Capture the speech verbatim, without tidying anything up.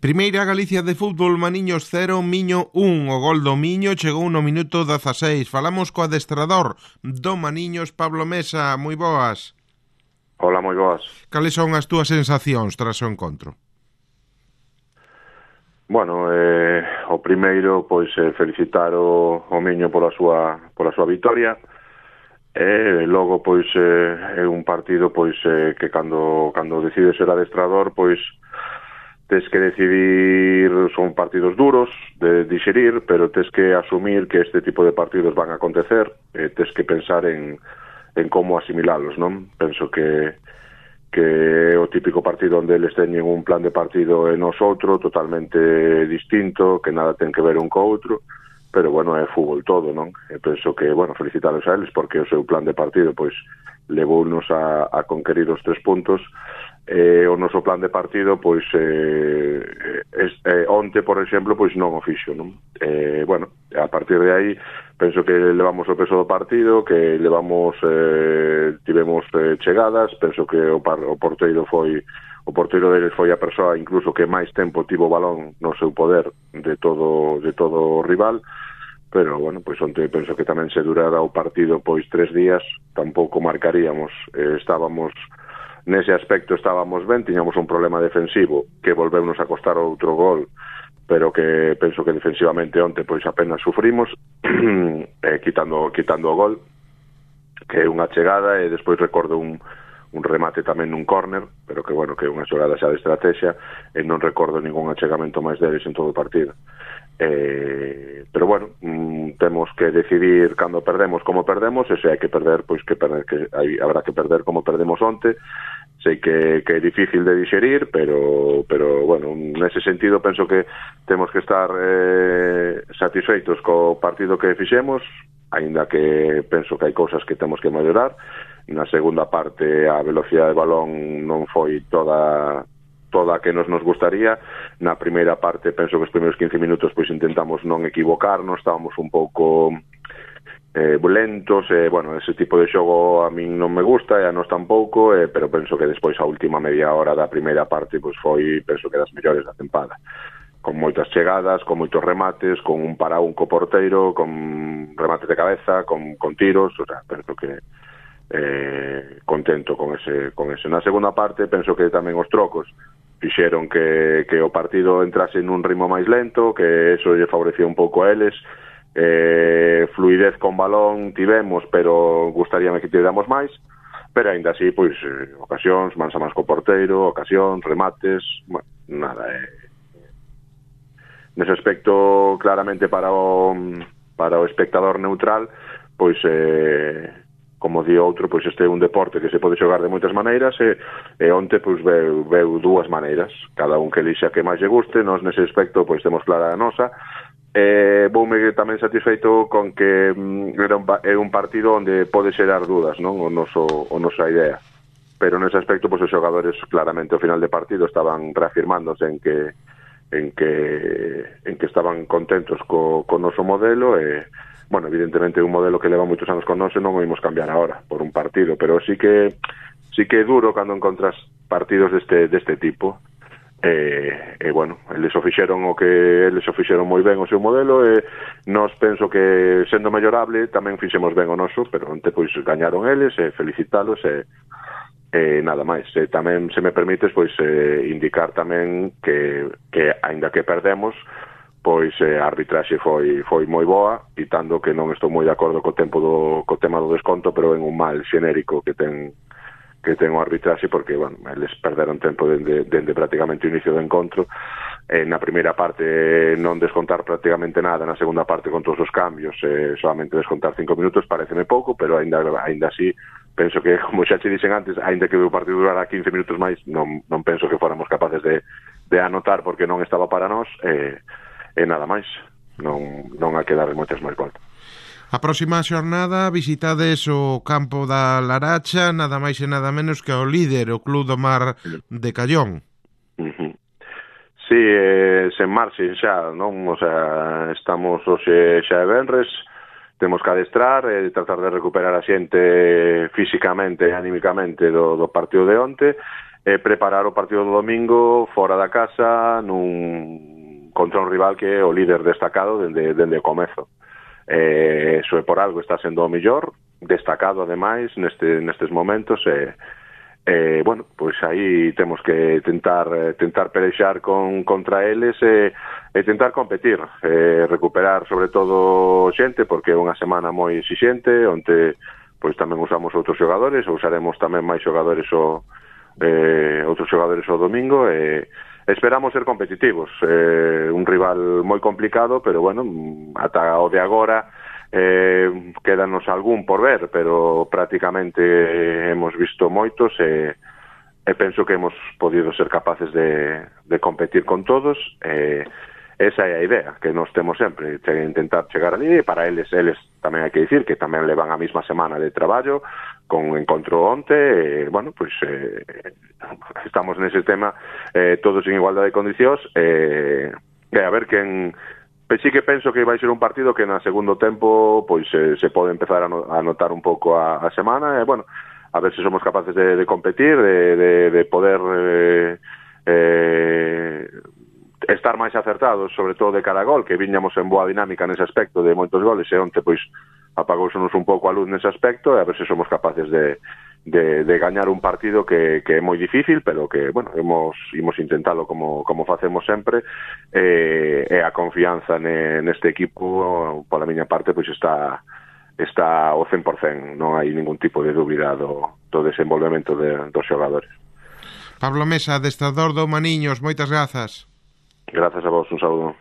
Primeira Galicia de fútbol, Maniños cero, Miño un. O gol do Miño chegou no minuto dezaseis. Falamos co adestrador do Maniños, Pablo Mesa. Moi boas. Hola, moi boas. Cales son as túas sensacións tras o encontro? Bueno, eh, o primeiro, pois, eh, felicitar o, o Miño pola súa, pola súa vitoria. E logo, pois, eh, é un partido, pois, eh, que cando, cando decides ser adestrador, pois, tes que decidir, son partidos duros de digerir, pero tes que asumir que este tipo de partidos van a acontecer, e tes que pensar en, en como asimilalos, non? Penso que que é o típico partido onde eles teñen un plan de partido e nos outro, totalmente distinto, que nada ten que ver un co outro, pero, bueno, é fútbol todo, non? E penso que, bueno, felicitalos a eles, porque o seu plan de partido, pois, levounos a, a conquerir os tres puntos. Eh, o noso plan de partido, pois, eh, eh, onte, por exemplo, pois non o fixo, non? Eh, bueno, a partir de aí, penso que levamos o peso do partido, que levamos, eh, tivemos eh, chegadas, penso que o, par, o porteiro foi, o porteiro deles foi a persoa incluso que máis tempo tivo o balón no seu poder de todo, de todo o rival, pero, bueno, pois onte penso que tamén se durara o partido, pois, tres días, tampouco marcaríamos, eh, estábamos... Nese aspecto estábamos ben, tiñamos un problema defensivo que volveunos a costar outro gol, pero que penso que defensivamente onte pois apenas sufrimos, eh, quitando quitando o gol, que é unha chegada, e despois recordo un, un remate tamén nun córner, pero que, bueno, que é unha xogada xa de estrategia, e non recordo ningún achegamento máis deles en todo o partido. Eh, pero, bueno, mm, temos que decidir cando perdemos como perdemos, e se hai que perder, pois que perder, que hai, habrá que perder como perdemos onte. Sei que, que é difícil de digerir, pero, pero, bueno, nese sentido penso que temos que estar eh, satisfeitos co partido que fixemos, aínda que penso que hai cousas que temos que mellorar. Na segunda parte a velocidade de balón non foi toda toda a que nos nos gustaría. Na primeira parte penso que os primeiros quince minutos pois intentamos non equivocarnos, estábamos un pouco eh, lentos, e, bueno, ese tipo de xogo a min non me gusta e a nos tampouco, eh, pero penso que despois a última media hora da primeira parte pois foi, penso que das mellores da tempada, con moitas chegadas, con moitos remates, con un para un co porteiro, con remates de cabeza, con, con tiros, o sea, penso que eh, contento con ese, con ese. Na segunda parte penso que tamén os trocos fixeron que, que o partido entrase nun ritmo máis lento, que eso lle favorecía un pouco a eles. Eh, fluidez con balón tivemos, pero gustaríame que tivéramos máis, pero aínda así, pois, eh, ocasións, mans a mans co porteiro, ocasións, remates, bueno, nada, eh. Nese aspecto, claramente para o para o espectador neutral, pois, eh, como di outro, pois este é un deporte que se pode xogar de moitas maneiras, e, e onte, pois, veu, veu dúas maneiras, cada un que elixa que máis lle guste. Nos nese aspecto, pois, temos clara a nosa. Eh, voume tamén satisfeito con que mm, era un, é un partido onde pode xerar dudas, non? O noso, o nosa idea, pero nese aspecto, pois, os xogadores claramente ao final de partido estaban reafirmándose en que en que en que estaban contentos co, co noso modelo, e, bueno, evidentemente é un modelo que leva moitos anos con nós e non o imos cambiar agora por un partido, pero sí que sí que é duro cando encontras partidos deste deste tipo. E, e, bueno, eles o fixeron o que eles o fixeron moi ben o seu modelo, e nós penso que sendo mellorable tamén fixemos ben o noso, pero onte pois gañaron eles, e felicitalos, e, e nada máis. E tamén, se me permites, pois eh, indicar tamén que, que aínda que perdemos, pois eh, a arbitraxe foi foi moi boa, quitando que non estou moi de acordo co tempo do co tema do desconto, pero en un mal xenérico que ten que ten o arbitraxe, porque, bueno, eles perderon tempo dende, dende prácticamente o inicio do encontro. Eh, na primeira parte non descontar prácticamente nada, na segunda parte con todos os cambios, eh, solamente descontar cinco minutos pareceme pouco, pero aínda aínda así penso que, como xa te dixen antes, aínda que o partido durara quince minutos máis, non, non penso que fóramos capaces de, de anotar, porque non estaba para nós, e eh, eh, nada máis, non, non hai que dar moitas máis voltas. A próxima xornada visitades o campo da Laracha, nada máis e nada menos que o líder, o Club do Mar de Callón. Uh-huh. Sí, eh, sen marxe xa, non? O sea, estamos hoxe xa de venres, temos que adestrar e tratar de recuperar a xente físicamente e anímicamente do, do partido de onte, e preparar o partido do domingo fora da casa nun contra un rival que é o líder destacado dende, dende o comezo. Eh, eso é por algo, está sendo o mellor, destacado ademais neste, nestes momentos, e eh, bueno, pois aí temos que tentar tentar pelexar con, contra eles e, e tentar competir, eh, recuperar sobre todo xente, porque é unha semana moi exixente, onde pois tamén usamos outros xogadores, ou usaremos tamén máis xogadores o, eh, outros xogadores o domingo, e esperamos ser competitivos. Eh, un rival moi complicado, pero bueno, ata o de agora eh, quédanos algún por ver, pero prácticamente hemos visto moitos e, e penso que hemos podido ser capaces de, de competir con todos. Eh, esa é a idea que nos temos sempre, intentar chegar ali, e para eles, eles tamén hai que dicir que tamén levan a mesma semana de traballo, con encontro onte, e, bueno, pois eh, estamos nese tema eh, todos en igualdade de condicións, e eh, a ver quen... Pois sí que penso que vai ser un partido que na segundo tempo pois eh, se pode empezar a, no, a notar un pouco a, a semana, e bueno, a ver se somos capaces de, de competir, de, de, de poder eh, eh, estar máis acertados, sobre todo de cara a gol, que viñamos en boa dinámica nese aspecto de moitos goles, e onte pois apagousenos un pouco a luz nese aspecto, e a ver se somos capaces de, de, de gañar un partido que, que é moi difícil, pero que, bueno, hemos, imos intentalo como, como facemos sempre, e, e a confianza ne, neste equipo, pola miña parte, pois está está ao cen por cen, non hai ningún tipo de dúbida do, do desenvolvemento de, dos xogadores. Pablo Mesa, adestrador do Maniños, moitas grazas. Grazas a vos, un saúdo.